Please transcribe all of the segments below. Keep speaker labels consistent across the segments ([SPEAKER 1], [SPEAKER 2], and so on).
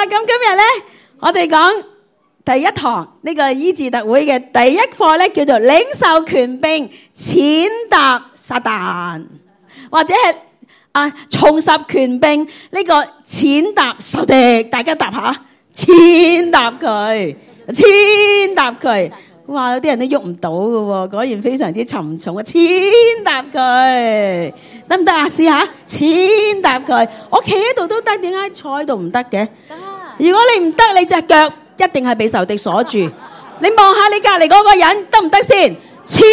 [SPEAKER 1] 咁今日咧，我哋講第一堂呢個醫治特會嘅第一課咧，叫做領受權柄，踐踏撒旦，或者係重拾權柄呢個踐踏仇敵。大家答下，踐踏佢，踐踏佢。哇！有啲人都喐唔到㗎喎，果然非常之沉重啊！踐踏佢得唔得啊？試下踐踏佢。我企喺度都得，點解坐喺度唔得嘅？如果你唔得，你隻腳一定係被仇敵鎖住。你望下你隔離嗰個人得唔得先？踐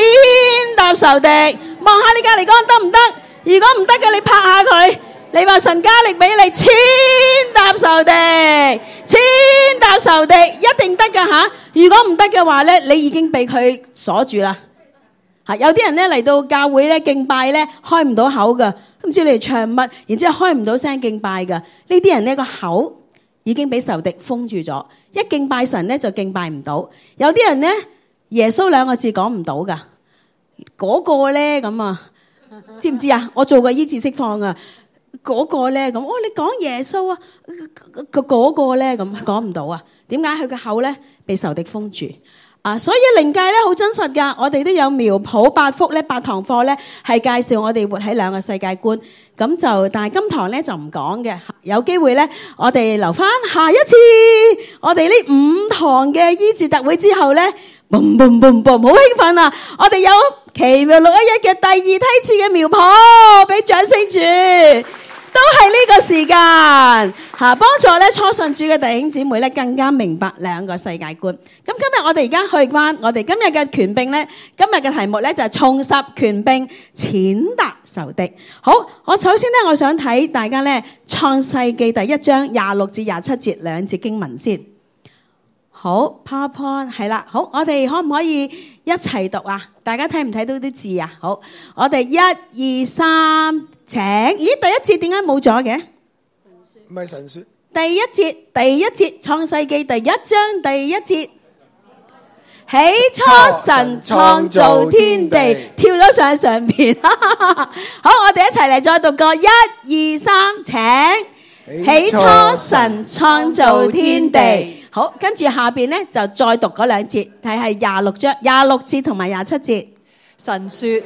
[SPEAKER 1] 踏仇敵。望下你隔離嗰個人得唔得？如果唔得嘅，你拍下佢。你話神加力俾你，踐踏仇敵，踐踏仇敵，一定得㗎吓。如果唔得嘅話咧，你已經被佢鎖住啦。吓，有啲人咧嚟到教會咧敬拜咧開唔到口㗎，都唔知你哋唱乜，然之後開唔到聲敬拜㗎。呢啲人呢個口已經俾仇敵封住咗，一敬拜神咧就敬拜唔到。有啲人咧耶穌兩個字講唔到㗎，嗰個咧咁啊，知唔知啊？我做過醫治釋放啊。嗰個咧咁，你講耶穌啊，嗰個咧咁講唔到啊？點解佢嘅口咧被仇敵封住啊？所以靈界咧好真實噶，我哋都有苗圃8福咧8堂課咧係介紹我哋活喺兩個世界觀。咁就但係今堂咧就唔講嘅，有機會咧我哋留翻下一次，我哋呢5堂嘅醫治特會之後咧，boom boom boom boom，好興奮啊！我哋有奇妙611嘅第2梯次嘅苗圃，俾掌聲住。都係呢個時間吓，幫助咧初信主嘅弟兄姊妹咧更加明白兩個世界觀。咁今日我哋而家去關我哋今日嘅權柄咧，今日嘅題目咧就係重拾權柄，踐踏仇敵。好，我首先咧我想睇大家咧創世記第1章26至27節2節經文先。好 ，PowerPoint 係啦，好，我哋可唔可以一齊讀啊？大家睇唔睇到啲字啊？好，我哋1、2、3，請。咦，第一節點解冇咗嘅？
[SPEAKER 2] 唔係神說。
[SPEAKER 1] 第一節，創世記第1章第1節。起初神創造天地，跳咗上邊。好，我哋一齊嚟再讀個1、2、3，請。起初神創造天地。好，跟住下邊咧就再讀嗰2節，係26章26節同埋27節。
[SPEAKER 3] 神說：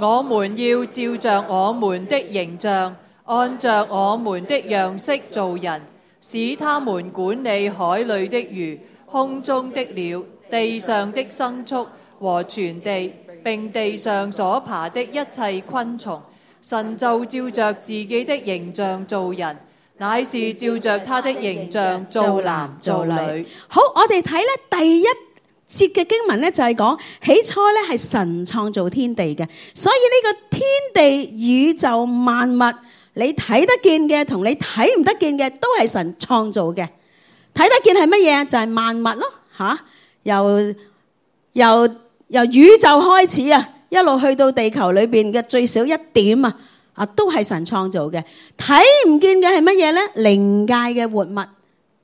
[SPEAKER 3] 我們要照着我們的形象，按着我們的樣式造人，使他們管理海裏的魚、空中的鳥、地上的牲畜和全地，並地上所爬的一切昆蟲。神就照着自己的形象造人，乃是照着他的形象造男造女。
[SPEAKER 1] 好，我哋睇咧第1節嘅經文咧就係講起初咧係神創造天地嘅，所以呢個天地宇宙萬物，你睇得見嘅同你睇唔得見嘅都係神創造嘅。睇得見係乜嘢？就係萬物咯，吓，由宇宙開始啊，一路去到地球裏邊嘅最少一點啊，都係神創造嘅。睇唔見嘅係乜嘢咧？靈界嘅活物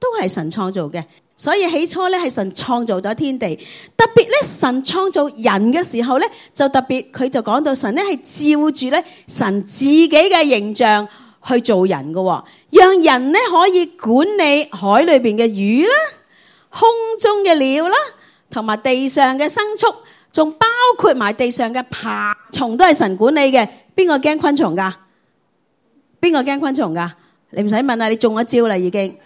[SPEAKER 1] 都係神創造嘅。所以起初咧係神創造咗天地，特別咧神創造人嘅時候咧，就特別佢就講到神咧係照住咧神自己嘅形象去做人嘅，讓人咧可以管理海裏邊嘅魚啦、空中嘅鳥啦，同埋地上嘅牲畜，仲包括埋地上嘅爬蟲都係神管理嘅。邊個驚昆蟲噶？邊個驚昆蟲噶？你唔使問啦，你中咗招啦已經。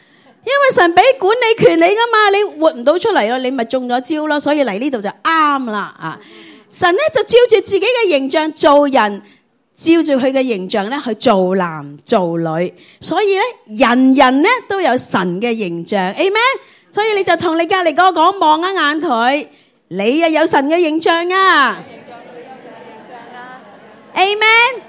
[SPEAKER 1] 因為神俾管理權你噶嘛，你活唔到出嚟咯，你咪中咗招咯，所以嚟呢度就啱啦啊！神咧就照住自己嘅形象做人，照住佢嘅形象咧去做男做女，所以咧人咧都有神嘅形象 ，Amen。所以你就同你隔籬嗰個講，望一眼佢，你啊有神嘅形象啊 ，Amen。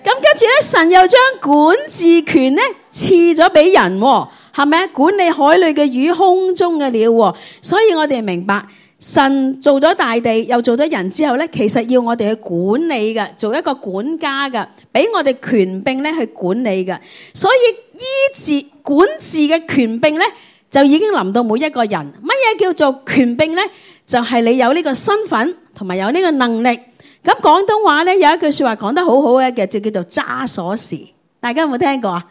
[SPEAKER 1] 咁跟住咧，神又將管治權咧賜咗俾人，係咪？管理海裏嘅魚、空中嘅鳥。所以我哋明白，神做咗大地，又做咗人之後咧，其實要我哋去管理嘅，做一個管家嘅，俾我哋權柄咧去管理嘅。所以醫治管治嘅權柄咧，就已經臨到每一個人。乜嘢叫做權柄咧？就係你有呢個身份，同埋有呢個能力。咁廣東話咧有一句說話講得好好嘅，就叫做揸鎖匙。大家有冇聽過啊？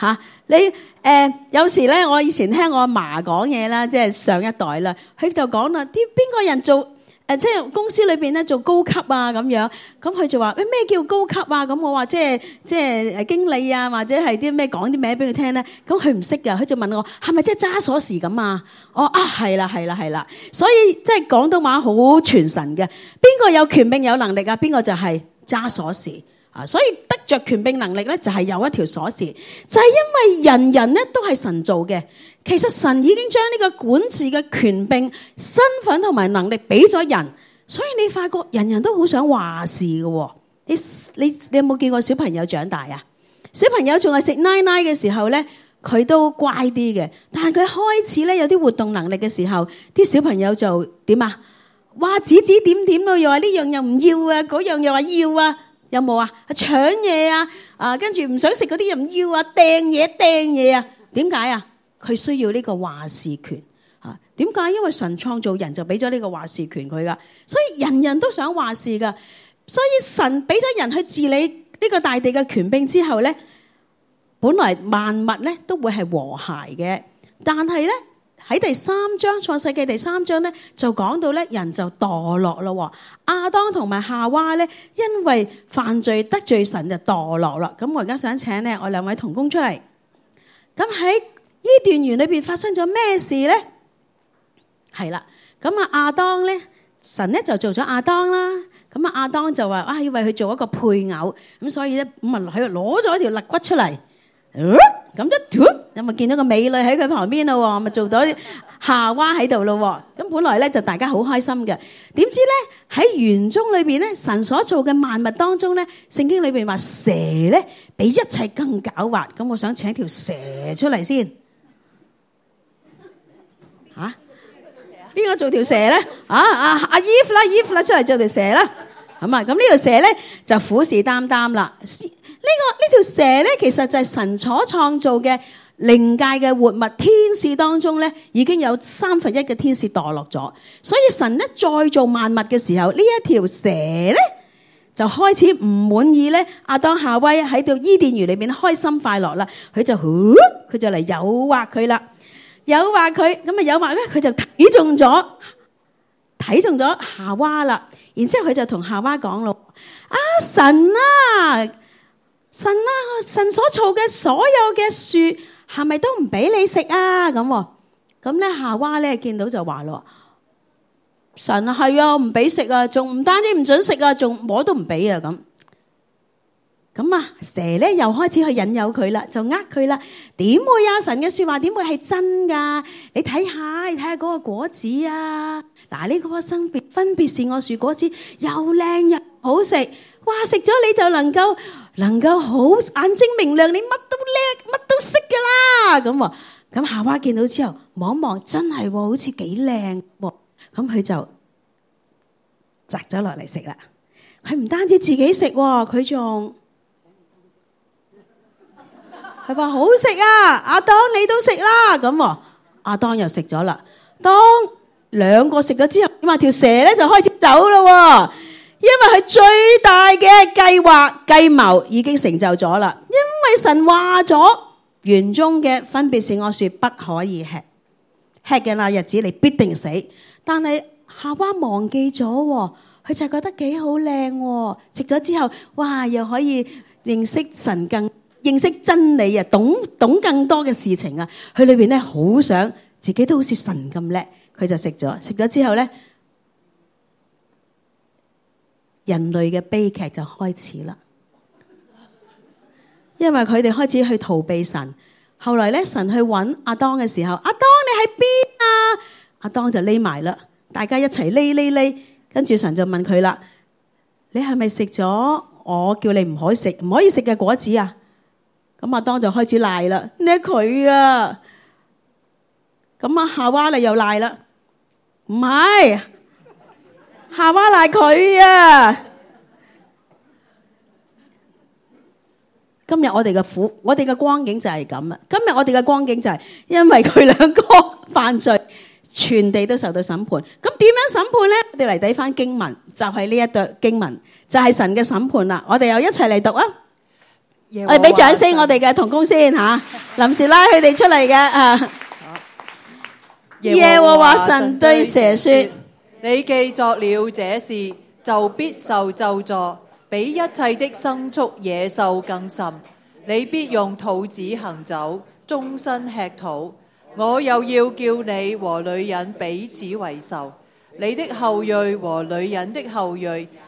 [SPEAKER 1] 嚇。你有時咧，我以前聽我阿嫲講嘢啦，即係上一代啦，佢就講啦，啲邊個人做即係公司裏邊咧做高級啊咁樣，咁佢就話咩叫高級啊？咁我話即係經理啊，或者係啲咩講啲名俾佢聽咧，咁佢唔識㗎，佢就問我係咪即係揸鎖匙咁啊？我係啦，所以即係廣東話好傳神嘅，邊個有權柄有能力啊？邊個就係揸鎖匙。所以得着權柄能力咧，就係有一條鎖匙，就係因為人人咧都係神做嘅。其實神已經將呢個管治嘅權柄、身份同埋能力俾咗人，所以你發覺人人都好想話事嘅。你有冇見過小朋友長大啊？小朋友仲係食奶奶嘅時候咧，佢都乖啲嘅，但係佢開始咧有啲活動能力嘅時候，啲小朋友就點啊？話指指點點咯，又話呢樣又唔要啊，嗰樣又話要啊。有冇啊？搶嘢啊！跟住唔想食嗰啲又唔要啊！掟嘢啊！點解啊？佢需要呢個話事權啊？點解？因為神創造人就俾咗呢個話事權佢噶，所以人人都想話事噶。所以神俾咗人去治理呢個大地嘅權柄之後咧，本來萬物咧都會係和諧嘅，但係咧喺第3章創世記第3章咧就講到咧人就墮落咯。亞當同埋夏娃咧因為犯罪得罪神就墮落啦。咁我而家想請咧我2位同工出嚟。咁喺伊甸園裏邊發生咗咩事咧？係啦，咁亞當咧神咧就做咗亞當啦。咁亞當就話要為佢做一個配偶，咁所以咧咁啊喺度攞咗一條肋骨出嚟。咁一有咪見到個美女喺佢旁邊咯，咪做到夏娃喺度咯。咁本來咧就大家好開心嘅，點知咧喺園中裏邊咧，神所做嘅萬物當中咧，聖經裏邊話蛇咧比一切更狡猾。咁我想請條蛇出嚟先。吓？邊個做條蛇咧？阿Eve 啦，出嚟做條蛇啦。咁呢條蛇咧就虎視眈眈啦。呢條蛇咧，其實就係神所創造嘅靈界嘅活物，天使當中咧已經有1/3嘅天使墮落咗，所以神咧再做萬物嘅時候，呢一條蛇咧就開始唔滿意咧。亞當夏娃喺度伊甸園裏邊開心快樂啦，佢就嚟誘惑佢啦，誘惑佢咁啊，誘惑咧佢就睇中咗夏娃啦。然之後佢就同夏娃講咯：神所造嘅所有嘅樹係咪都唔俾你食啊？咁咧夏娃咧見到就話咯：神係啊，唔俾食啊，仲唔單止唔准食啊，仲摸都唔俾啊。咁蛇咧又開始去引誘佢啦，就佢啦。點會啊？神嘅說話點會係真噶？你睇下嗰個果子啊！嗱，呢個分別善惡樹果子又靚又好食，哇！食咗你就能夠好眼睛明亮，你乜都叻，乜都識噶啦。咁夏娃見到之後望一望，真係好似幾靚。咁佢就摘咗落嚟食啦。佢唔單止自己食，佢仲佢話好食啊！亞當你都食啦。咁亞當又食咗啦。當兩個食咗之後，條蛇咧就開始走咯。因為佢最大嘅計謀已經成就咗啦。因為神話咗園中嘅分別善惡樹不可以吃，吃嘅那日子你必定死。但係夏娃忘記咗，佢就覺得幾好靚，食咗之後，哇，又可以認識神，認識真理啊，懂更多嘅事情啊。佢裏邊咧好想自己都好似神咁叻，佢就食咗之後咧。人類嘅悲劇就開始啦，因為佢哋開始去逃避神。後來咧，神去揾亞當嘅時候，亞當你喺邊啊？亞當就匿埋啦，大家一齊匿，跟住神就問佢啦：你係咪食咗我叫你唔可以食嘅果子啊？咁亞當就開始賴啦，你係佢啊！咁夏娃你又賴啦，唔係。夏娃賴佢啊！今日我哋嘅光景就係咁啦。今日我哋嘅光景就係因為佢兩個犯罪，全地都受到審判。咁點樣審判咧？我哋嚟睇翻經文，就係呢一段經文，就係神嘅審判啦。我哋又一齊嚟讀啊！我哋俾掌聲我哋嘅同工先嚇，臨時拉佢哋出嚟嘅啊。耶和華神對蛇說：
[SPEAKER 3] 你既作了這事，就必受咒詛，比一切的牲畜野獸更甚。你必用肚子行走，終身吃土。我又要叫你和女人彼此為仇，你的後裔和女人的後裔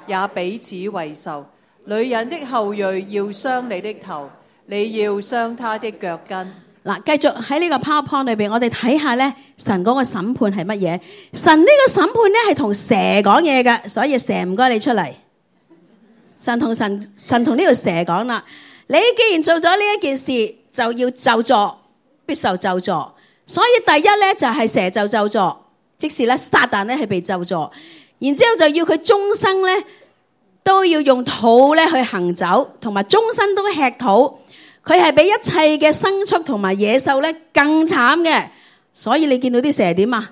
[SPEAKER 3] 也彼此為仇。女人的後裔要傷你的頭，你要傷她的腳跟。
[SPEAKER 1] 嗱，繼續喺呢個 PowerPoint 裏邊，我哋睇下咧，神嗰個審判係乜嘢？神呢個審判咧係同蛇講嘢嘅，所以蛇唔該你出嚟。神同呢條蛇講啦，你既然做咗呢一件事，就要咒詛，必受咒詛。所以第一咧就係蛇就咒詛，即是咧撒旦咧係被咒詛，然之後就要佢終生咧都要用土咧去行走，同埋終身都吃土。佢係比一切嘅牲畜同埋野獸咧更慘嘅，所以你見到啲蛇點啊？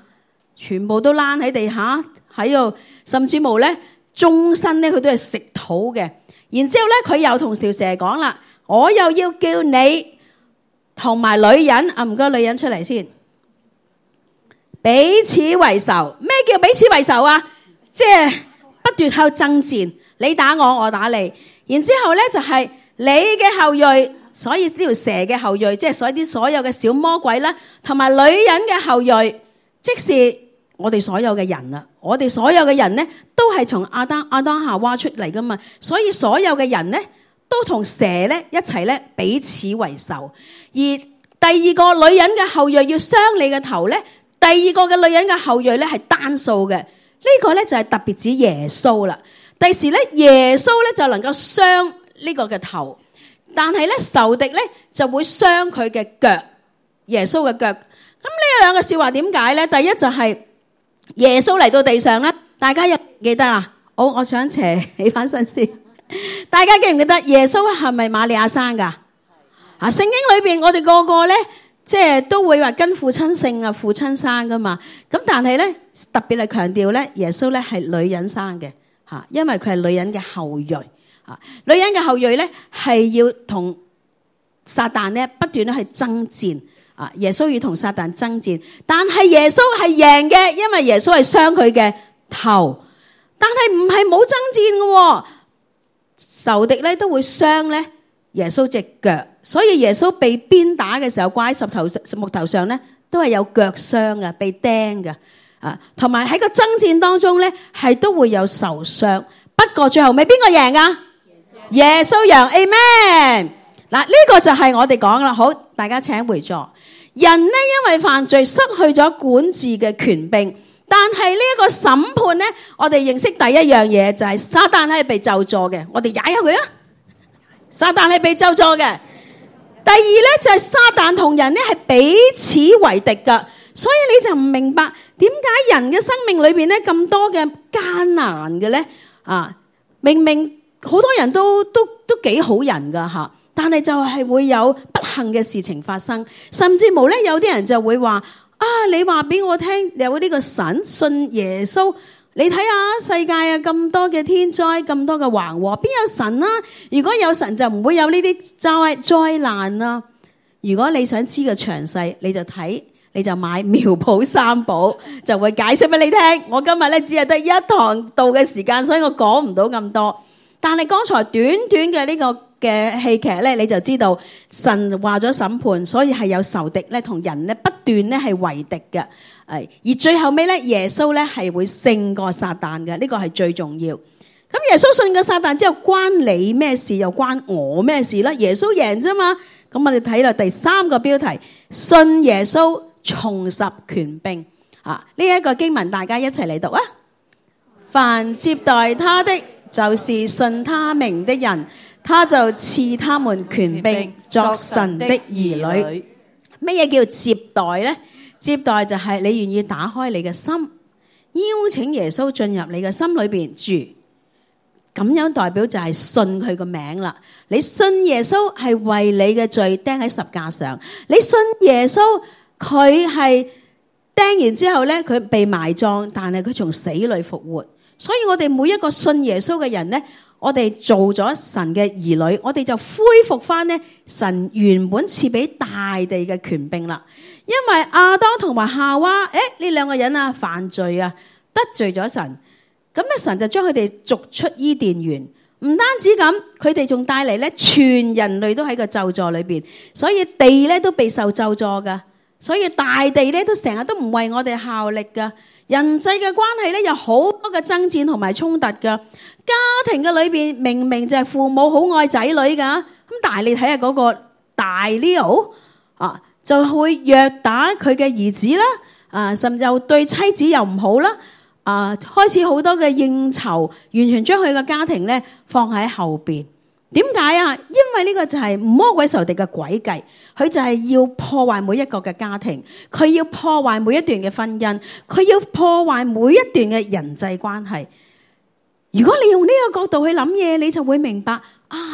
[SPEAKER 1] 全部都躝喺地下喺度，甚至乎咧終身咧佢都係食土嘅。然之後咧佢又同條蛇講啦，我又要叫你同埋女人啊，唔該女人出嚟先，彼此為仇。咩叫彼此為仇啊？即係不斷喺度爭戰，你打我，我打你。然之後咧就係你嘅後裔。所以呢條蛇嘅後裔，即係所有嘅小魔鬼啦，同埋女人嘅後裔，即是我哋所有嘅人啦。我哋所有嘅人咧，都係從亞當夏娃出嚟噶嘛。所以所有嘅人咧，都同蛇咧一齊咧彼此為仇。而第二個女人嘅後裔要傷你嘅頭咧，第二個嘅女人嘅後裔咧係單數嘅。呢個咧就係特別指耶穌啦。第時咧耶穌咧就能夠傷呢個嘅頭。但係咧仇敵咧就會傷佢嘅腳，耶穌嘅腳。咁呢兩個笑話點解咧？第一就係耶穌嚟到地上咧，大家有記得啦？我想斜起翻身先。大家記唔記得耶穌係咪瑪利亞生噶？啊，聖經裏邊我哋個個咧，即係都會話跟父親姓啊，父親生噶嘛。咁但係咧特別係強調咧，耶穌咧係女人生嘅吓，因為佢係女人嘅後裔。女人嘅後裔咧係要同撒旦咧不斷咧去爭戰啊！耶穌要同撒旦爭戰，但係耶穌係贏嘅，因為耶穌係傷佢嘅頭。但係唔係冇爭戰嘅，仇敵咧都會傷咧耶穌隻腳，所以耶穌被鞭打嘅時候掛喺木頭上咧都係有腳傷嘅，被釘嘅啊，同埋喺個爭戰當中咧係都會有受傷。不過最後尾邊個贏啊？耶穌贏 ，Amen。嗱，呢個就係我哋講啦。好，大家請回座。人呢因為犯罪失去咗管治嘅權柄，但係呢一個審判呢，我哋認識第一樣嘢就係撒旦係被咒詛嘅。我哋踩下佢啊！撒旦係被咒詛嘅。第二呢就係撒旦同人呢係彼此為敵噶，所以你就唔明白點解人嘅生命裏邊呢咁多嘅艱難嘅呢？啊，明明好多人都幾好人噶吓，但係就係會有不幸嘅事情發生，甚至乎咧有啲人就會話啊，你話俾我聽有呢個神，信耶穌，你睇下世界啊咁多嘅天災，咁多嘅橫禍，邊有神啊？如果有神就唔會有呢啲災難啦。如果你想知個詳細，你就買苗圃三寶，就會解釋俾你聽。我今日咧只係得一堂道嘅時間，所以我講唔到咁多。但係剛才短短嘅呢個嘅戲劇咧，你就知道神話咗審判，所以係有仇敵咧同人咧不斷咧係為敵嘅。而最後尾咧，耶穌咧係會勝過撒旦嘅，呢個係最重要。咁耶穌勝過撒旦之後，關你咩事？又關我咩事咧？耶穌贏啫嘛。咁我哋睇落第三個標題：信耶穌，重拾權柄。呢一個經文大家一齊嚟讀啊！凡接待他的，就是信他名的人，他就賜他們權柄作神的兒女。乜嘢叫接待呢？接待就係你願意打開你嘅心，邀請耶穌進入你嘅心裏邊住，咁樣代表就係信佢個名啦。你信耶穌係為你嘅罪釘喺十架上，你信耶穌佢係釘完之後咧，佢被埋葬，但係佢從死裏復活。所以我哋每一個信耶穌嘅人呢，我哋做咗神嘅兒女，我哋就恢復翻呢神原本賜俾大地嘅權柄啦。因為亞當同埋夏娃，呢兩個人啊犯罪啊，得罪咗神，咁咧神就將佢哋逐出伊甸園。唔單止咁，佢哋仲帶嚟咧全人類都喺個咒詛裏邊，所以地咧都備受咒詛噶，所以大地咧都成日都唔為我哋效力噶。人際嘅關係咧有好多嘅爭戰同埋衝突噶，家庭嘅裏邊明明就係父母好愛仔女噶，咁但係你睇下嗰個大 Leo 啊，就會虐打佢嘅兒子啦，甚至又對妻子又唔好啦。開始好多嘅應酬，完全將佢嘅家庭咧放喺後邊。點解啊？因為呢個就係魔鬼仇敵嘅詭計，佢就係要破壞每一個嘅家庭，佢要破壞每一段嘅婚姻，佢要破壞每一段嘅人際關係。如果你用呢個角度去諗嘢，你就會明白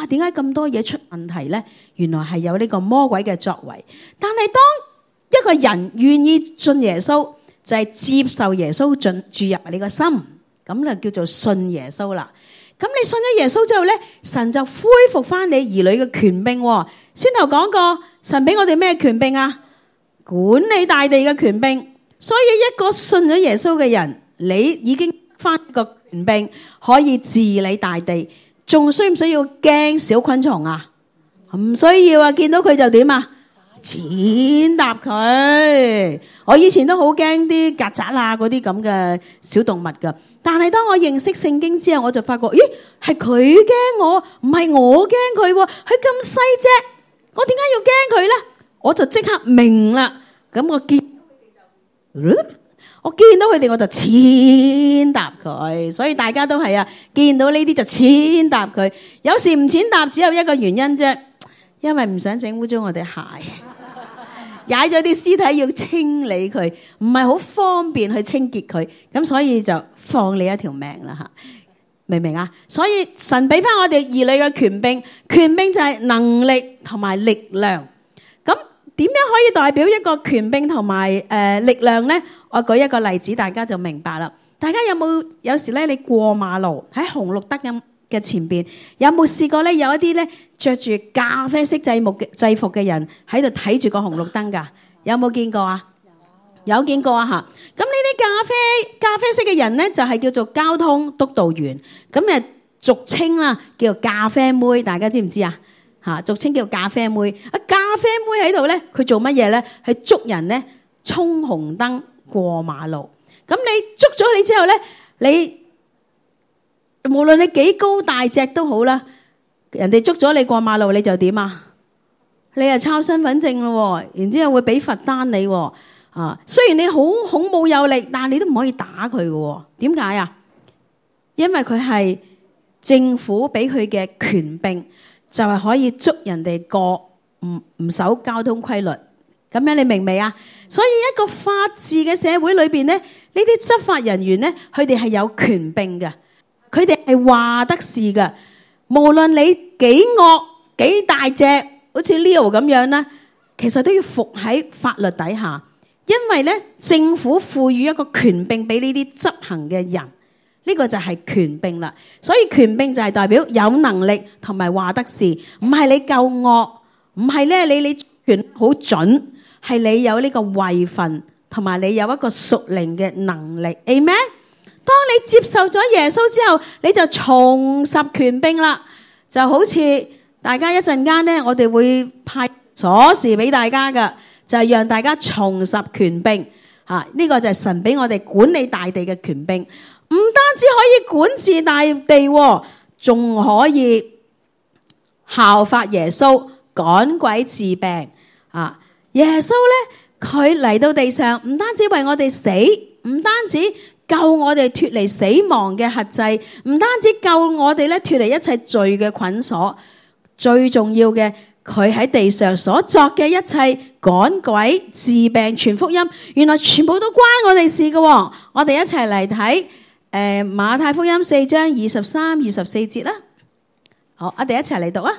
[SPEAKER 1] 點解咁多嘢出問題呢？原來係有呢個魔鬼嘅作為。但係當一個人願意信耶穌，就係接受耶穌注入你個心，咁就叫做信耶穌啦。咁你信咗耶穌之後咧，神就恢復翻你兒女嘅權柄。先頭講過，神俾我哋咩權柄啊？管理大地嘅權柄。所以一個信咗耶穌嘅人，你已經翻個權柄，可以治理大地。仲需唔需要驚小昆蟲啊？唔需要啊！見到佢就點啊？踐踏佢。我以前都好驚啲曱甴啊，嗰啲咁嘅小動物噶。但係當我認識聖經之後，我就發覺，咦，係佢驚我，唔係我驚佢。佢咁細隻，我點解要驚佢咧？我就即刻明啦。咁我見到佢哋，我就踐踏佢。所以大家都係啊，見到呢啲就踐踏佢。有時唔踐踏只有一個原因啫，因為唔想整污糟我哋鞋。踩咗啲屍體要清理佢，唔係好方便去清潔佢，咁所以就放你一條命啦吓，明唔明啊？所以神俾翻我哋兒女嘅權柄，權柄就係能力同埋力量。咁點樣可以代表一個權柄同埋力量呢？我舉一個例子，大家就明白啦。大家有時咧，你過馬路喺紅綠燈嘅前邊，有冇試過咧？有一啲咧着住咖啡色制服嘅人喺度睇住個紅綠燈噶，有冇見過啊？有見過啊吓。咁呢啲咖啡色嘅人咧，就係叫做交通督導員，咁俗稱啦，叫做咖啡妹，大家知唔知啊？吓，俗稱叫咖啡妹。咖啡妹喺度咧，佢做乜嘢咧？係捉人咧衝紅燈過馬路。咁你捉咗你之後咧，你無論你幾高大隻都好啦，人哋捉咗你過馬路，你就點啊？你係抄身份證咯，然之後會俾罰單你。雖然你好孔武有力，但係你都唔可以打佢嘅。點解啊？因為佢係政府俾佢嘅權柄，就係可以捉人哋過唔守交通規律。咁樣你明未啊？所以一個法治嘅社會裏邊咧，呢啲執法人員咧，佢哋係有權柄嘅。佢哋係話得事㗎，無論你幾惡幾大隻，好似 Leo 咁樣啦，其實都要服喺法律底下，因為咧政府賦予一個權柄俾呢啲執行嘅人，呢個就係權柄啦。所以權柄就係代表有能力同埋話得事，唔係你夠惡，唔係咧你權好準，係你有呢個位份，同埋你有一個屬靈嘅能力。Amen。當你接受咗耶穌之後，你就重拾權柄啦。就好似大家一陣間呢，我哋會派鎖匙俾大家噶，就係讓大家重拾權柄。呢個就係神俾我哋管理大地嘅權柄，唔單止可以管治大地，仲可以效法耶穌趕鬼治病。耶穌呢，佢嚟到地上，唔單止為我哋死，唔單止救我哋脫離死亡嘅轄制，唔單止救我哋咧脫離一切罪嘅捆鎖，最重要嘅，佢喺地上所作嘅一切趕鬼治病傳福音，原來全部都關我哋事嘅。我哋一齊嚟睇馬太福音4章23、24節啦。好，我哋一齊嚟讀啊。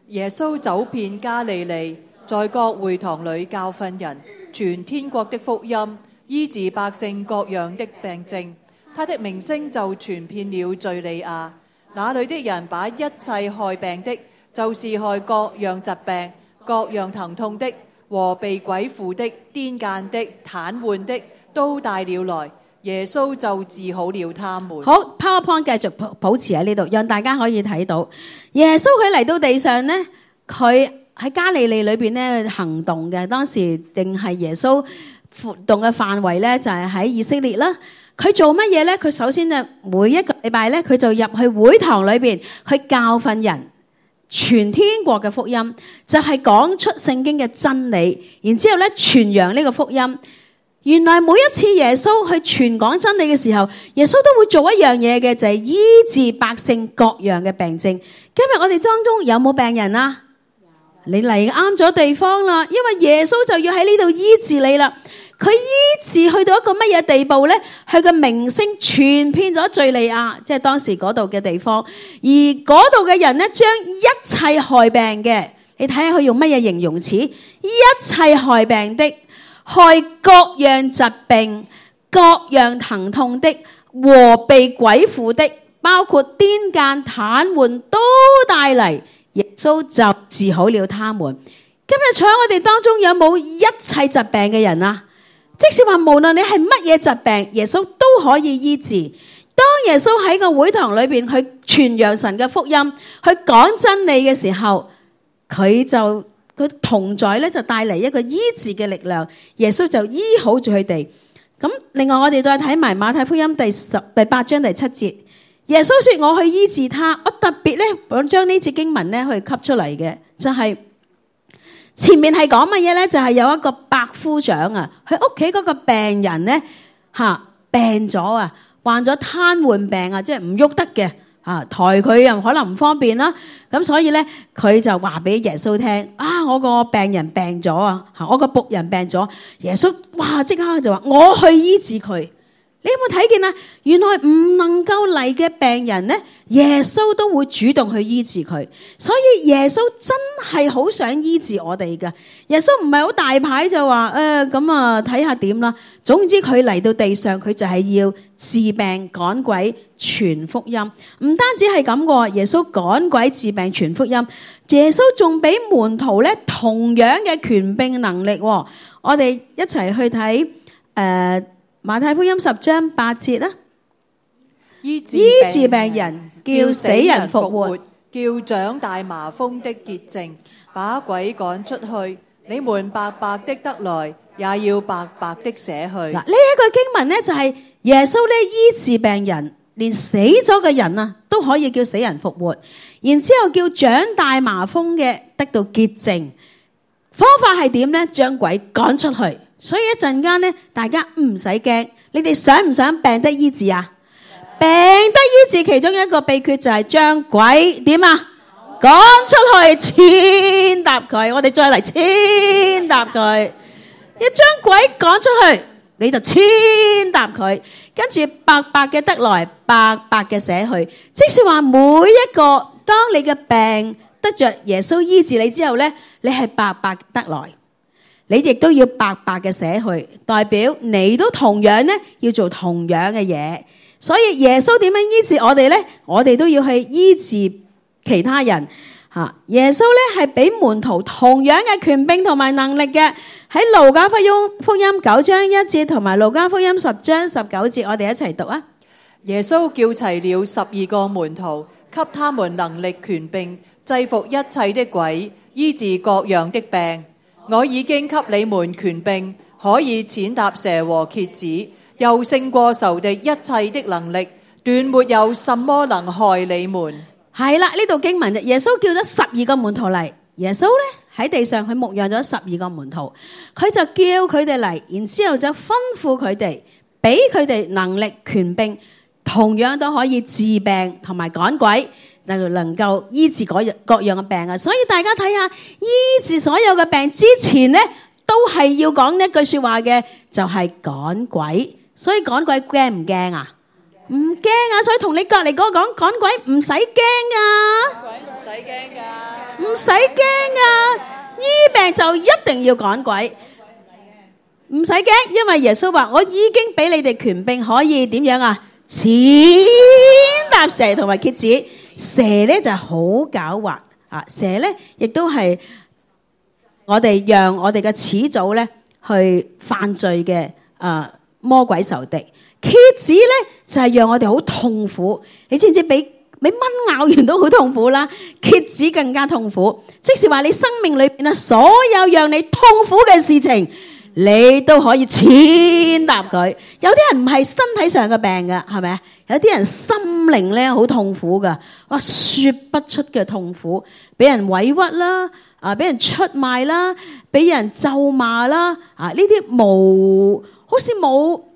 [SPEAKER 3] 耶穌走遍加利利，在各會堂裏教訓人，傳天國的福音，醫治百姓各樣的病症。他的名聲就傳遍了敘利亞。那裏的人把一切害病的，就是害各樣疾病、各樣疼痛的和被鬼附的、癲癇的、癱瘓的，都帶了來。耶穌就治好了他們。
[SPEAKER 1] 好 ，PowerPoint 繼續保持喺呢度，讓大家可以睇到耶穌佢嚟到地上呢，佢喺加利利裏邊咧行動嘅。當時定係耶穌活動嘅範圍咧，就係喺以色列啦。佢做乜嘢咧？佢首先就每一個禮拜咧，佢就入去會堂裏邊去教訓人，傳天國嘅福音，就係講出聖經嘅真理，然之後咧傳揚呢個福音。原來每一次耶穌去傳講真理嘅時候，耶穌都會做一樣嘢嘅，就係醫治百姓各樣嘅病症。今日我哋當中有冇病人啊？你嚟啱咗地方啦，因為耶穌就要喺呢度醫治你啦。佢醫治去到一個乜嘢地步呢？佢嘅名聲傳遍咗敘利亞，即係當時嗰度嘅地方。而嗰度嘅人呢，將一切害病嘅，你睇下佢用乜嘢形容詞？一切害病的、害各樣疾病、各樣疼痛的和被鬼附的，包括癲癇、癱瘓，都帶嚟。耶穌就治好了他們。今日坐喺我哋當中有冇一切疾病嘅人啊？即使話無論你係乜嘢疾病，耶穌都可以醫治。當耶穌喺個會堂裏邊去傳揚神嘅福音，去講真理嘅時候，佢同在咧，就帶嚟一個醫治嘅力量。耶穌就醫好住佢哋。咁另外我哋再睇埋馬太福音第8章第7節。耶穌說我去醫治他，我特別咧想將呢節經文咧去吸出嚟嘅，就係前面係講乜嘢咧？就係有一個百夫長啊，佢屋企嗰個病人咧病咗啊，患咗癱瘓病啊，即係唔喐得嘅抬佢又可能唔方便啦，咁所以咧佢就話俾耶穌聽我個病人病咗啊，我個僕人病咗。耶穌哇即刻就話我去醫治佢。你有冇睇見啊？原來唔能夠嚟嘅病人咧，耶穌都會主動去醫治佢。所以耶穌真係好想醫治我哋㗎。耶穌唔係好大牌就話咁睇下點啦。總之佢嚟到地上，佢就係要治病趕鬼傳福音。唔單止係咁嘅，耶穌趕鬼治病傳福音，耶穌仲俾門徒咧同樣嘅權柄能力。我哋一齊去睇馬太福音10章8節啦，醫治病人，叫死人復活，
[SPEAKER 3] 叫長大麻風的潔淨，把鬼趕出去。你們白白的得來，也要白白的捨去。
[SPEAKER 1] 嗱，呢一個經文呢，就係耶穌咧醫治病人，連死咗嘅人啊都可以叫死人復活，然之後叫長大麻風嘅得到潔淨。方法係點呢？將鬼趕出去。所以一陣間咧，大家唔使驚。你哋想唔想病得醫治啊？病得醫治其中一個秘訣就係將鬼點啊？趕出去，踐踏佢。我哋再嚟踐踏佢。一將鬼趕出去，你就踐踏佢，跟住白白嘅得來，白白嘅捨去。即是話每一個，當你嘅病得着耶穌醫治你之後咧，你係白白得來。你亦都要白白嘅捨去，代表你都同樣咧要做同樣嘅嘢。所以耶穌點樣醫治我哋咧？我哋都要去醫治其他人。耶穌咧係俾門徒同樣嘅權柄同埋能力嘅。喺路加福音9章1節同埋路加福音10章19節，我哋一齊讀啊！
[SPEAKER 3] 耶穌叫齊了12個門徒，給他們能力權柄，制服一切的鬼，醫治各樣的病。我已經給你們權柄，可以踐踏蛇和蠍子，又勝過仇敵一切的能力，斷沒有什麼能害你們。
[SPEAKER 1] 係啦，呢度經文就耶穌叫咗12個門徒嚟。耶穌咧喺地上佢牧養咗12個門徒，佢就叫佢哋嚟，然之後就吩咐佢哋，俾佢哋能力權柄，同樣都可以治病同埋趕鬼。就能夠醫治各樣嘅病啊！所以大家睇下，醫治所有嘅病之前咧，都係要講一句說話嘅，就係趕鬼。所以趕鬼驚唔驚啊？唔驚啊！所以同你隔籬嗰個講趕鬼唔使驚啊！
[SPEAKER 3] 鬼唔使驚噶，
[SPEAKER 1] 唔使驚啊！醫病就一定要趕鬼，唔使驚，因為耶穌話我已經俾你哋權柄，可以點樣啊？踐踏蛇同埋蠍子。蛇咧就係好狡猾啊！蛇咧亦都係我哋讓我哋嘅始祖咧去犯罪嘅魔鬼仇敵。蠍子咧就係讓我哋好痛苦。你知唔知俾蚊咬完都好痛苦啦？蠍子更加痛苦。即是話你生命裏邊所有讓你痛苦嘅事情，你都可以踐踏佢。有啲人唔係身體上嘅病㗎，係咪啊？有啲人心靈咧好痛苦㗎，哇，說不出嘅痛苦，俾人委屈啦，俾人出賣啦，俾人咒罵啦，呢啲好似冇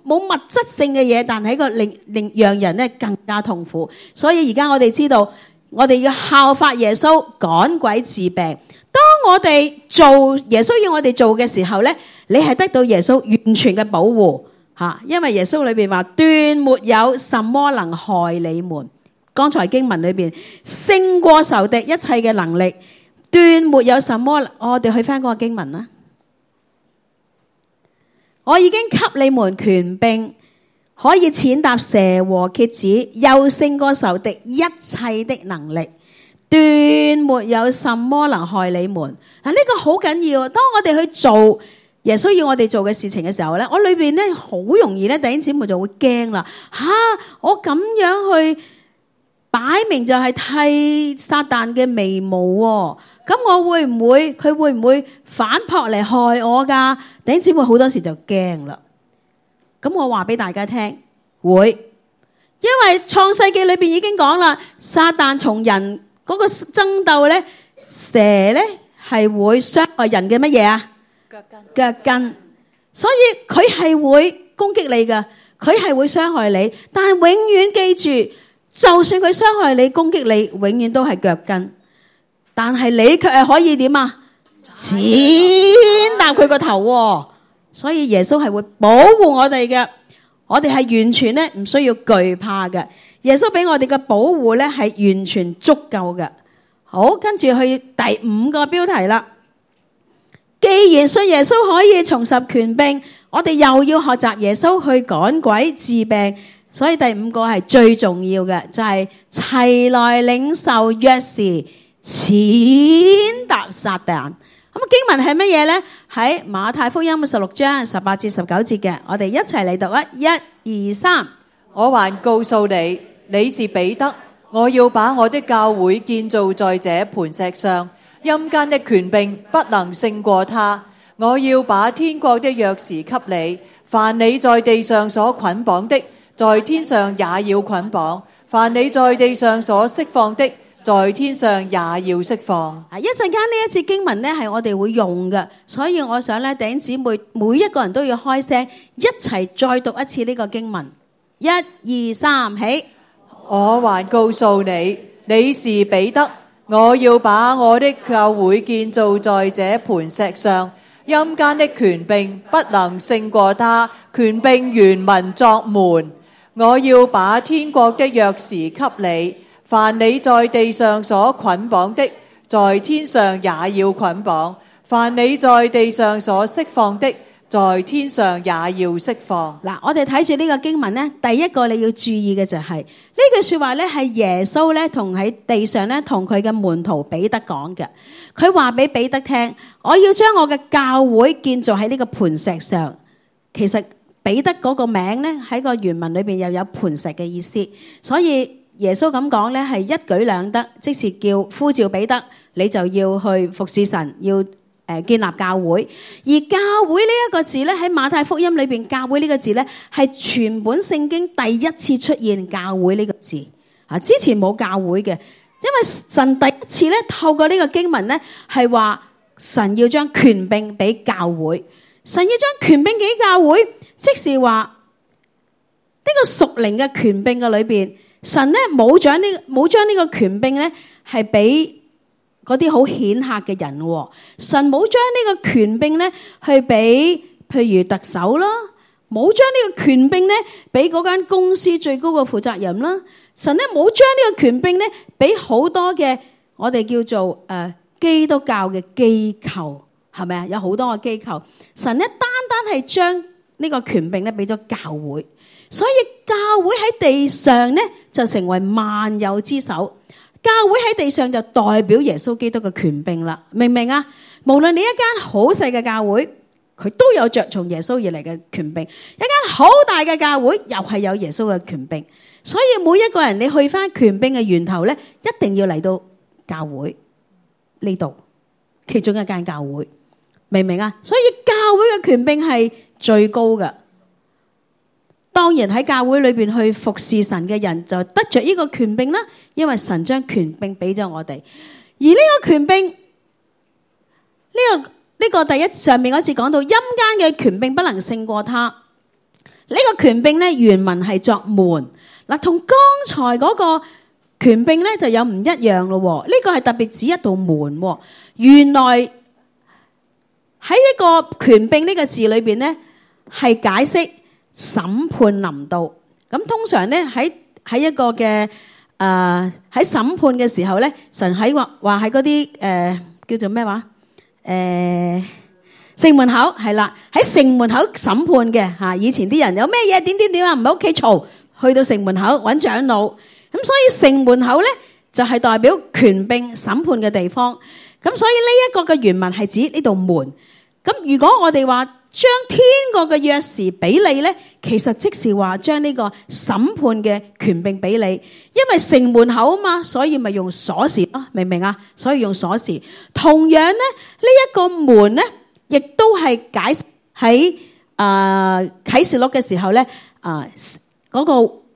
[SPEAKER 1] 物質性嘅嘢，但係個令讓人咧更加痛苦。所以而家我哋知道，我哋要效法耶穌趕鬼治病。當我哋做耶穌要我哋做嘅時候咧，你係得到耶穌完全嘅保護吓，因為耶穌裏邊話斷沒有什麼能害你們。剛才經文裏邊勝過仇敵一切嘅能力，斷沒有什麼。我哋去翻嗰個經文啦。我已經給你們權柄，可以踐踏蛇和蠍子，又勝過仇敵一切的能力，斷沒有什麼能害你們。嗱，呢個好緊要。當我哋去做耶穌要我哋做嘅事情嘅時候咧，我裏邊咧好容易咧，弟兄姊妹就會驚啦。我咁樣去擺明就係剃撒旦嘅眉毛喎。咁佢會唔會反撲嚟害我噶？弟兄姊妹好多時就驚啦。咁我話俾大家聽，會，因為創世記裏邊已經講啦，撒旦從人嗰個爭鬥咧，蛇咧係會傷害人嘅乜嘢啊？腳跟。所以佢係會攻擊你噶，佢係會傷害你，但係永遠記住，就算佢傷害你、攻擊你，永遠都係腳跟。但係你卻係可以點啊？踐踏佢個頭。所以耶穌係會保護我哋嘅，我哋係完全咧唔需要懼怕嘅。耶穌俾我哋嘅保護咧係完全足夠嘅。好，跟住去第5個標題啦。既然信耶穌可以重拾權柄，我哋又要學習耶穌去趕鬼治病。所以第5個係最重要嘅，就係齊來領受鑰匙，踐踏撒旦。咁經文係乜嘢呢？喺馬太福音16章18至19節嘅，我哋一齊嚟讀啊！1、2、3。
[SPEAKER 3] 我還告訴你，你是彼得，我要把我的教會建造在這磐石上，陰間的權柄不能勝過他。我要把天國的鑰匙給你，凡你在地上所捆綁的，在天上也要捆綁；凡你在地上所釋放的，在天上也要釋放。
[SPEAKER 1] 一陣間呢一節經文呢係我哋會用嘅，所以我想咧弟兄姊妹每一個人都要開聲，一齊再讀一次呢個經文。1、2、3，起！
[SPEAKER 3] 我還告訴你，你是彼得，我要把我的教會建造在這磐石上，陰間的權柄不能勝過他。權柄原文作門。我要把天國的鑰匙給你。凡你在地上所捆綁的，在天上也要捆綁；凡你在地上所釋放的，在天上也要釋放。
[SPEAKER 1] 嗱，我哋睇住呢個經文呢，第一個你要注意嘅就係呢句說話呢係耶穌呢同喺地上呢同佢嘅門徒彼得講嘅。佢話俾彼得聽，我要將我嘅教會建造喺呢個磐石上。其實彼得嗰個名呢喺個原文裏邊又有磐石嘅意思，所以耶穌咁講咧，係一舉兩得，即是叫呼召彼得，你就要去服侍神，要建立教會。而教會呢一個字咧，喺馬太福音裏邊，教會呢個字咧係全本聖經第一次出現教會呢個字啊，之前冇教會嘅，因為神第一次咧透過呢個經文咧係話神要將權柄俾教會，神要將權柄俾教會，即是話呢個屬靈嘅權柄嘅裏邊。神咧冇將呢個權柄咧係俾嗰啲好顯赫嘅人，神冇將呢個權柄咧去俾譬如特首啦，冇將呢個權柄咧俾嗰間公司最高嘅負責人啦，神咧冇將呢個權柄咧俾好多嘅我哋叫做基督教嘅機構，係咪啊？有好多個機構，神咧單單係將呢個權柄咧俾咗教會，所以教會喺地上咧就成為萬有之首。教會喺地上就代表耶穌基督嘅權柄啦，明唔明啊？無論你一間好細嘅教會，佢都有着從耶穌而嚟嘅權柄；一間好大嘅教會，又係有耶穌嘅權柄。所以每一個人你去翻權柄嘅源頭咧，一定要嚟到教會呢度，其中一間教會，明唔明啊？所以教會嘅權柄係最高嘅。當然喺教會裏邊去服侍神嘅人就得着呢個權柄啦，因為神將權柄俾咗我哋。而呢個權柄，呢個第一上面嗰次講到陰間嘅權柄不能勝過他。呢個權柄咧原文係作門，嗱，同剛才嗰個權柄咧就有唔一樣咯。呢個係特別指一道門。原來喺一個權柄呢個字裏邊咧係解釋審判臨到。咁通常咧喺一個嘅喺審判嘅時候咧，神喺話喺嗰啲叫做咩話城門口係啦，喺城門口審判嘅嚇。以前啲人有咩嘢點啊，唔喺屋企嘈，去到城門口揾長老。咁所以城門口咧就係代表權柄審判嘅地方。咁所以呢一個嘅原文係指呢道門。咁如果我哋話將天國嘅鑰匙俾你咧，其實即是話將呢個審判嘅權柄俾你，因為城門口啊嘛，所以咪用鎖匙咯，明唔明啊？所以用鎖匙。同樣咧，呢一個門咧，亦都係解喺啟示錄嘅時候咧，嗰個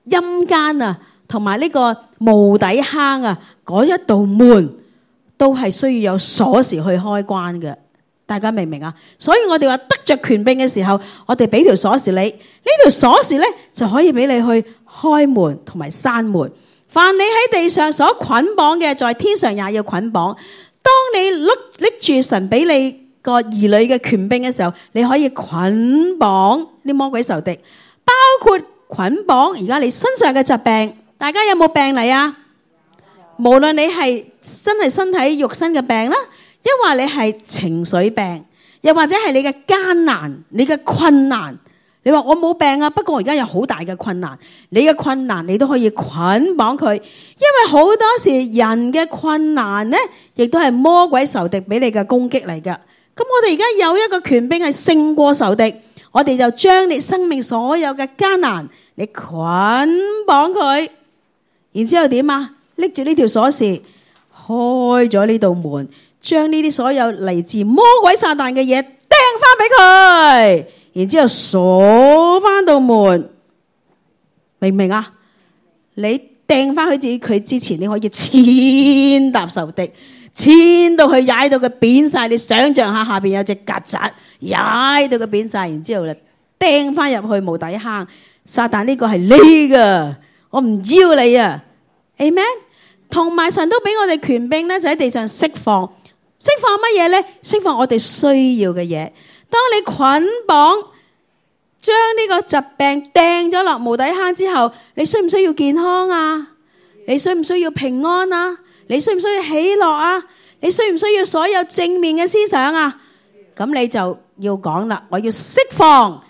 [SPEAKER 1] 陰間啊，同埋呢個無底坑啊，嗰一道門都係需要有鎖匙去開關嘅。大家明唔明啊？所以我哋話得着權柄嘅時候，我哋俾條鎖匙你，呢條鎖匙咧就可以俾你去開門同埋閂門。凡你喺地上所捆綁嘅，在天上也要捆綁。當你拎住神俾你個兒女嘅權柄嘅時候，你可以捆綁啲魔鬼仇敵，包括捆綁而家你身上嘅疾病。大家有冇病嚟啊？無論你係真係身體肉身嘅病啦，因為你係情緒病，又或者係你嘅艱難、你嘅困難。你話我冇病啊，不過我而家有好大嘅困難。你嘅困難你都可以捆綁佢，因為好多時人嘅困難呢，亦都係魔鬼仇敵俾你嘅攻擊嚟㗎。咁我哋而家有一個權柄係勝過仇敵，我哋就將你生命所有嘅艱難，你捆綁佢，然之後點啊？拎住呢條鎖匙，開咗呢道門，將呢啲所有嚟自魔鬼撒旦嘅嘢掟翻俾佢，然之後鎖翻道門，明唔明啊？你掟翻去佢之前，你可以踐踏仇敵，踐到佢踩到佢扁晒。你想象下，下邊有隻曱甴踩到佢扁晒，然之後咧掟翻入去無底坑。撒旦呢個係你噶，我唔要你啊 ，Amen。同埋神都俾我哋權柄咧，就喺地上釋放。釋放乜嘢咧？釋放我哋需要嘅嘢。當你捆綁將呢個疾病掟咗落無底坑之後，你需唔需要健康啊？你需唔需要平安啊？你需唔需要喜樂啊？你需唔需要所有正面嘅思想啊？咁你就要講啦，我要釋放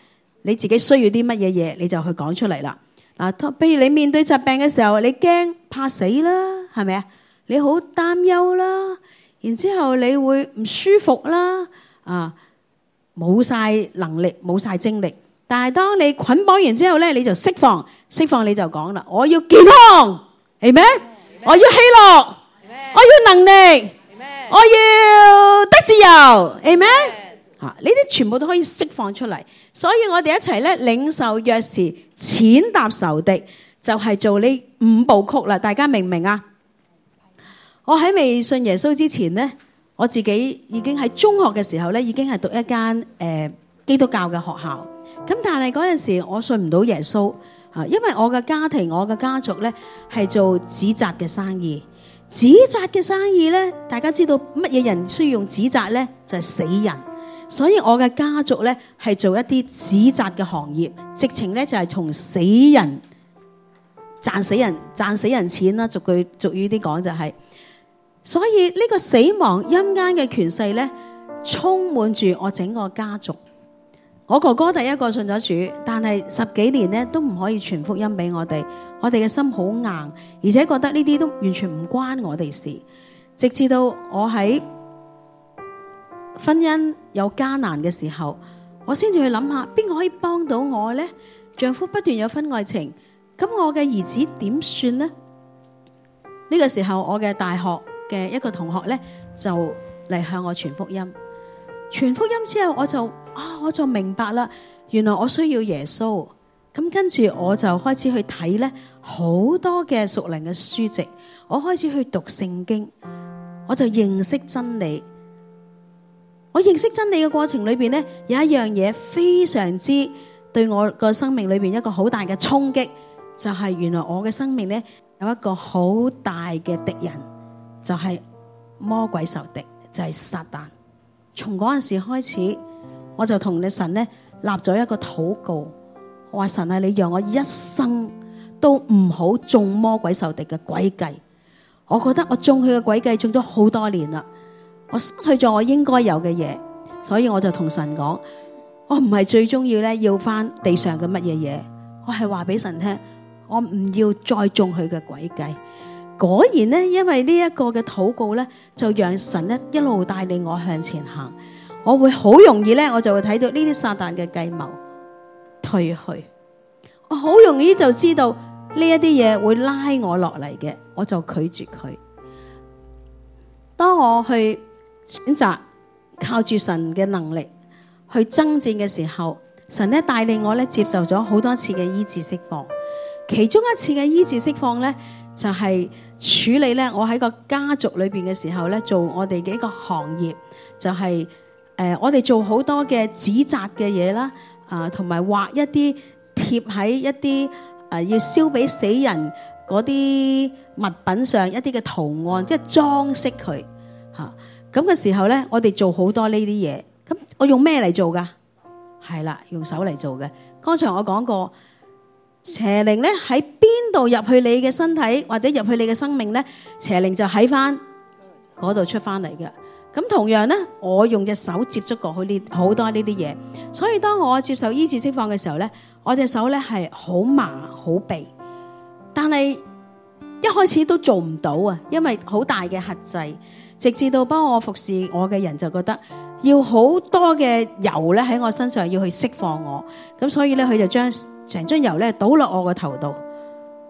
[SPEAKER 1] 你自己需要啲乜嘢嘢，你就去講出嚟啦。嗱，譬如你面對疾病嘅時候，你驚怕死啦，係咪啊？你好擔憂啦，然之後你會唔舒服啦，冇晒能力，冇晒精力。但係當你捆綁完之後咧，你就釋放你就講啦，我要健康，係咪？我要喜樂，我要能力，我要得自由，係咪？呢啲全部都可以釋放出嚟。所以我哋一齊咧領受鑰匙，踐踏仇敵，就係做呢5部曲啦。大家明唔明啊？我喺未信耶穌之前咧，我自己已經喺中學嘅時候咧，已經係讀一間基督教嘅學校。咁但係嗰陣時我信唔到耶穌啊，因為我嘅家庭、我嘅家族咧係做紙紮嘅生意。紙紮嘅生意咧，大家知道乜嘢人需要用紙紮咧？就係死人。所以我嘅家族咧係做一啲紙紮嘅行業，直情咧就係從死人賺死人錢啦。俗語啲講就係，所以呢個死亡陰間嘅權勢咧充滿住我整個家族。我哥哥第一個信咗主，但係10幾年咧都唔可以傳福音俾我哋嘅心好硬，而且覺得呢啲都完全唔關我哋事。直至到我喺婚姻有艱難嘅時候，我先至去諗下邊個可以幫到我呢？丈夫不斷有婚外情，咁我嘅兒子點算呢？呢個時候我嘅大學嘅一個同學呢，就嚟向我傳福音。傳福音之後我就明白啦，原來我需要耶穌。咁跟住我就開始去睇呢好多嘅屬靈嘅書籍，我開始去讀聖經，我就認識真理。我認識真理嘅過程裏邊呢，有一樣嘢非常之對我個生命裏邊一個好大嘅衝擊，就係原來我嘅生命呢有一個好大嘅敵人，就係魔鬼仇敵，就係撒旦。從嗰陣時開始，我就同你神呢立咗一個禱告，我話神啊，你讓我一生都唔好中魔鬼仇敵嘅詭計。我覺得我中佢嘅詭計中咗好多年啦，我失去咗我應該有嘅嘢，所以我就同神講，我唔係最終要咧要翻地上嘅乜嘢嘢，我係話俾神聽，我唔要再中佢嘅詭計。果然呢，因為呢一個嘅禱告呢，就讓神呢一路帶領我向前行。我會好容易呢，我就會睇到呢啲撒旦嘅計謀退去。我好容易就知道呢一啲嘢會拉我落嚟嘅，我就拒絕佢。當我去選擇靠住神嘅能力去爭戰嘅時候，神呢帶領我呢接受咗好多次嘅醫治釋放。其中一次嘅醫治釋放呢，就係處理咧，我喺個家族裏邊嘅時候咧，做我哋嘅一個行業，就係我哋做好多嘅紙紮嘅嘢啦，同埋畫一啲貼喺一啲要燒俾死人嗰啲物品上一啲嘅圖案，即係裝飾佢嚇。咁嘅時候咧，我哋做好多呢啲嘢。咁我用咩嚟做噶？係啦，用手嚟做嘅。剛才我講過。邪靈咧喺邊度入去你嘅身體或者入去你嘅生命咧，邪靈就喺翻嗰度出翻嚟嘅。咁同樣咧，我用隻手接觸過好多呢啲嘢，所以當我接受醫治釋放嘅時候咧，我隻手咧係好麻好痹，但係一開始都做唔到啊，因為好大嘅轄制。直至到幫我服侍我嘅人就覺得要好多嘅油咧喺我身上要去釋放我，咁所以咧佢就將成樽油咧倒落我個頭度，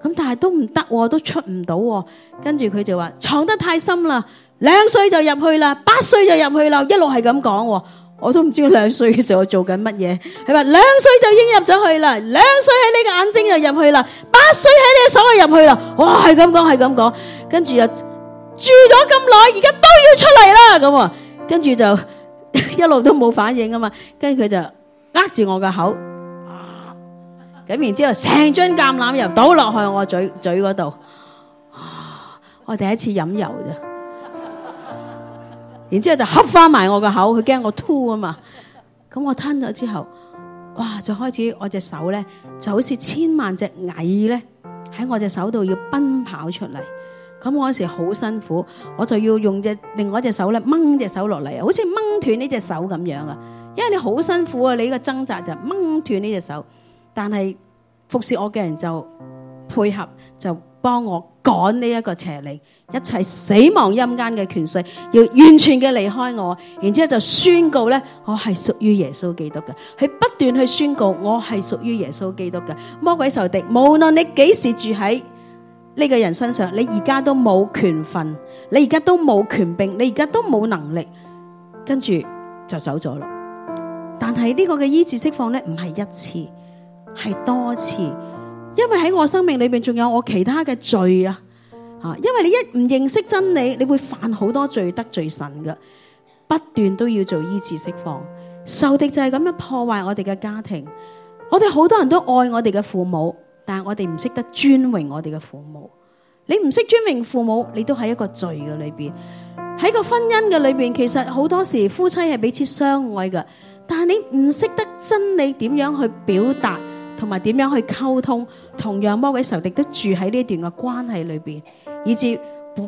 [SPEAKER 1] 咁但係都唔得，都出唔到。跟住佢就話藏得太深啦，2歲就入去啦，8歲就入去啦，一路係咁講。我都唔知2歲嘅時候我做緊乜嘢。佢話2歲就已經入咗去啦，2歲喺你嘅眼睛就入去啦，8歲喺你嘅手就入去啦。哇，係咁講係咁講，跟住就住咗咁耐，而家都要出嚟啦咁。跟住就一路都冇反應啊嘛，跟住佢就握住我個口。咁然之後，成樽橄欖油倒落去我嘴嗰度，我第一次飲油啫。然之後就合翻埋我個口，佢驚我吐啊嘛。咁我吞咗之後，哇！就開始我隻手咧，就好似千萬隻蟻咧喺我隻手度要奔跑出嚟。咁我嗰時好辛苦，我就要用另外一隻手咧掹隻手落嚟，好似掹斷呢隻手咁樣啊。因為你好辛苦啊，你個掙扎就掹斷呢隻手。但係服侍我嘅人就配合，就幫我趕呢一個邪靈，一切死亡陰間嘅權勢要完全嘅離開我。然之後就宣告咧，我係屬於耶穌基督嘅。佢不斷去宣告我係屬於耶穌基督嘅。魔鬼仇敵，無論你幾時住喺呢個人身上，你而家都冇權份，你而家都冇權柄，你而家都冇能力，跟住就走咗咯。但係呢個嘅醫治釋放咧，唔係一次，係多次，因為喺我生命裏邊仲有我其他嘅罪啊！因為你一唔認識真理，你會犯好多罪，得罪神噶。不斷都要做醫治釋放，仇敵就係咁樣破壞我哋嘅家庭。我哋好多人都愛我哋嘅父母，但係我哋唔識得尊榮我哋嘅父母。你唔識尊榮父母，你都喺一個罪嘅裏邊。喺個婚姻嘅裏邊，其實好多時夫妻係彼此相愛噶，但係你唔識得真理點樣去表達，同埋點樣去溝通，同樣魔鬼仇敵都住喺呢段嘅關係裏邊，以致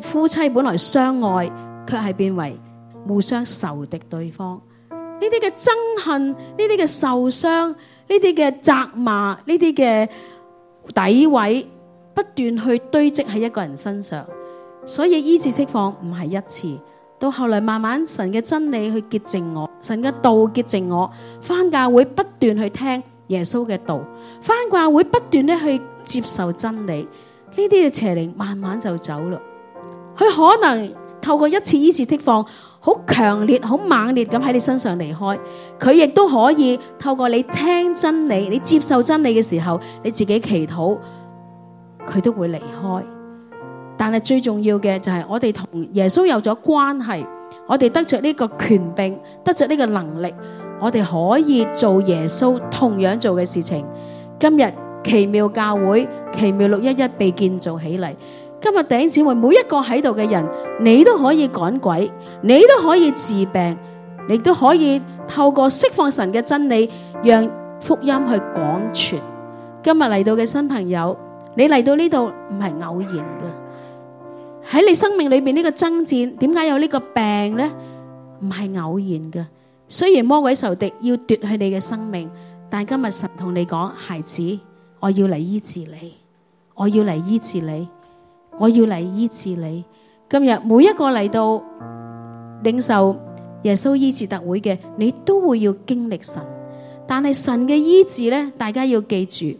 [SPEAKER 1] 夫妻本來相愛，卻係變為互相仇敵對方。呢啲嘅憎恨，呢啲嘅受傷，呢啲嘅責罵，呢啲嘅詆毀，不斷去堆積喺一個人身上。所以醫治釋放唔係一次，到後來慢慢神嘅真理去潔淨我，神嘅道潔淨我，返教會不斷去聽耶穌嘅道，返教會不斷咧去接受真理，呢啲嘅邪靈慢慢就走啦。佢可能透過一次醫治釋放，好強烈、好猛烈咁喺你身上離開，佢亦都可以透過你聽真理、你接受真理嘅時候，你自己祈禱，佢都會離開。但係最重要嘅就係我哋同耶穌有咗關係，我哋得着呢個權柄，得着呢個能力，我哋可以做耶穌同樣做嘅事情。今日奇妙教會、奇妙611被建造起嚟。今日弟兄姊妹每一個喺度嘅人，你都可以趕鬼，你都可以治病，你都可以透過釋放神嘅真理，讓福音去廣傳。今日嚟到嘅新朋友，你嚟到呢度唔係偶然嘅，喺你生命裏邊呢個爭戰，點解有呢個病呢？唔係偶然嘅。雖然魔鬼仇敵要奪去你嘅生命，但今日神同你講，孩子，我要嚟醫治你，我要嚟醫治你，我要嚟醫治你。今日每一個嚟到領受耶穌醫治特會嘅，你都會要經歷神。但係神嘅醫治呢，大家要記住，一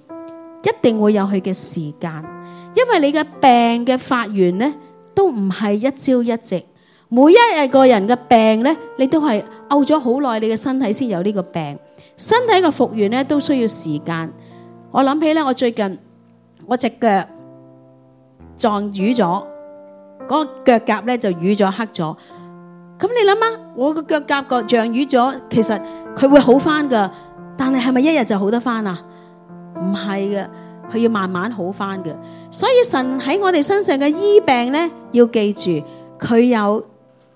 [SPEAKER 1] 定會有佢嘅時間，因為你嘅病嘅發源呢，都唔係一朝一夕。每一日個人嘅病呢，你都係漚咗好耐，你嘅身體先有呢個病。身體嘅復原呢，都需要時間。我諗起呢，我最近我隻腳撞瘀咗，嗰個腳甲呢就瘀咗黑咗。咁你諗下，我個腳甲個像瘀咗，其實佢會好翻噶，但係咪一日就好得翻啊？唔係嘅，佢要慢慢好翻嘅。所以神喺我哋身上嘅醫病呢，要記住佢有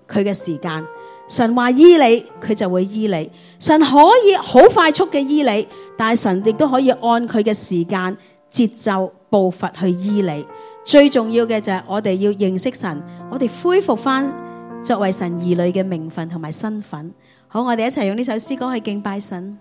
[SPEAKER 1] 佢嘅時間。神話醫你，佢就會醫你。神可以好快速嘅醫你，但係神亦都可以按佢嘅時間、節奏、步伐去醫你。最重要嘅就係我哋要認識神，我哋恢復翻作為神兒女嘅名分同埋身份。好，我哋一齊用呢首詩歌去敬拜神。